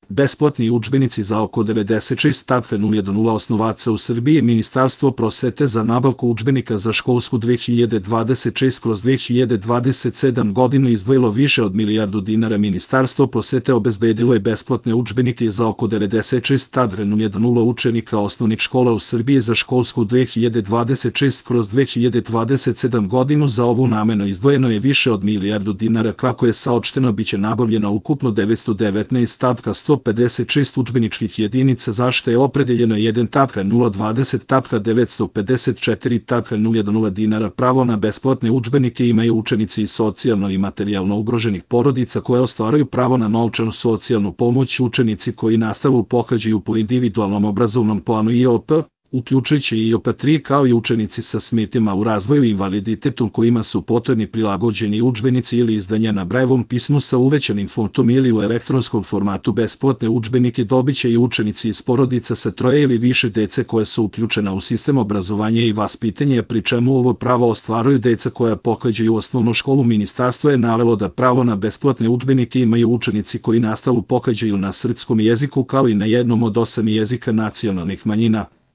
Besplatni udžbenici za oko 96,000 osnovaca u Srbiji. Ministarstvo prosvete za nabavku udžbenika za školsku 2026/2027 godinu izdvojilo više od milijardu dinara. Ministarstvo prosvete obezbedilo je besplatne udžbenike za oko 96,000 učenika osnovnih škola u Srbiji za školsku 2026/2027 godinu. Za ovu namenu izdvojeno je više od milijardu dinara. Kako je saopšteno, biće nabavljeno ukupno 919,156 udžbeničkih jedinica, za što je opredeljeno 1,020,954,010 dinara. Pravo na besplatne udžbenike imaju učenici iz socijalno i materijalno ugroženih porodica koje ostvaruju pravo na novčanu socijalnu pomoć, učenici koji nastavu pohađaju po individualnom obrazovnom planu IOP, uključujući i IOP3, kao i učenici sa smetnjama u razvoju i invaliditetom kojima su potrebni prilagođeni udžbenici ili izdanja na Brailleovom pismu sa uvećanim fontom ili u elektronskom formatu. Besplatne udžbenike dobiće i učenici iz porodica sa troje ili više dece koje su uključena u sistem obrazovanja i vaspitanja, pri čemu ovo pravo ostvaruju deca koja pohađaju osnovnu školu. Ministarstvo je navelo da pravo na besplatne udžbenike imaju učenici koji nastavu pohađaju na srpskom jeziku, kao i na jednom od 8 jezika nacionalnih manjina.